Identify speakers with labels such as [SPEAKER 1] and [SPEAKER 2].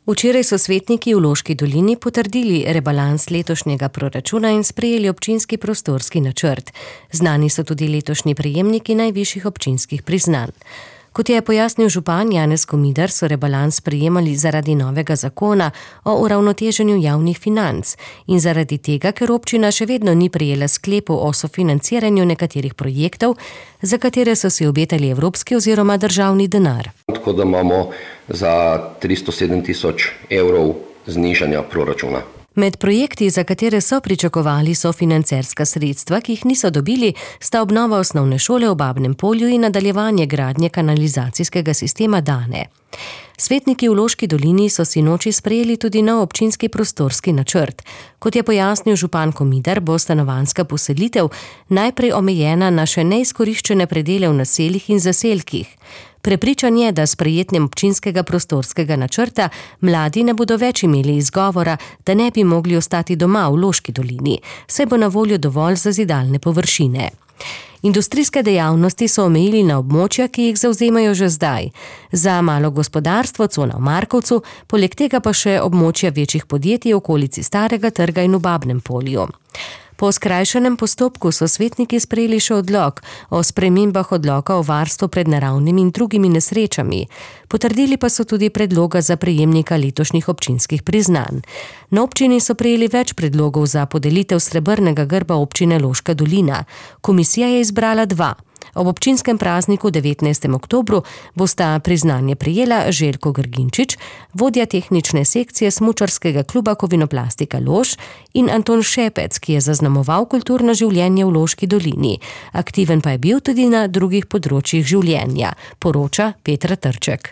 [SPEAKER 1] Včeraj so svetniki v Loški dolini potrdili rebalans letošnjega proračuna in sprejeli občinski prostorski načrt. Znani so tudi letošnji prejemniki najvišjih občinskih priznanj. Kot je pojasnil župan Janez Komidar, so rebalans sprejemali zaradi novega zakona o uravnoteženju javnih financ in zaradi tega, ker občina še vedno ni prejela sklepov o sofinanciranju nekaterih projektov, za katere so si obetali evropski oziroma državni denar.
[SPEAKER 2] Tako da imamo za 307 tisoč evrov znižanja proračuna.
[SPEAKER 1] Med projekti, za katere so pričakovali sofinancerska sredstva, ki jih niso dobili, sta obnova osnovne šole v Babnem Polju in nadaljevanje gradnje kanalizacijskega sistema Dane. Svetniki v Loški dolini so sinoči sprejeli tudi nov občinski prostorski načrt. Kot je pojasnil župan Komidar, bo stanovanjska poselitev najprej omejena na še neizkoriščene predele v naseljih in zaselkih. Prepričan je, da s sprejetjem občinskega prostorskega načrta mladi ne bodo več imeli izgovora, da ne bi mogli ostati doma v Loški dolini, saj bo na voljo dovolj zazidalne površine. Industrijske dejavnosti so omejili na območja, ki jih zavzemajo že zdaj. Za malo gospodarstvo, cona v Markovcu, poleg tega pa še območja večjih podjetij v okolici Starega trga in v Babnem Polju. Po skrajšanem postopku so svetniki sprejeli še odlok o spremembah odloka o varstvu pred naravnimi in drugimi nesrečami. Potrdili pa so tudi predloga za prejemnika letošnjih občinskih priznanj. Na občini so prejeli več predlogov za podelitev srebrnega grba občine Loška dolina. Komisija je izbrala 2. Ob občinskem prazniku 19. oktobru bosta priznanje prejela Željko Grginčič, vodja tehnične sekcije smučarskega kluba Kovinoplastika Lož, in Anton Šepec, ki je zaznamoval kulturno življenje v Loški dolini. Aktiven pa je bil tudi na drugih področjih življenja, poroča Petra Trček.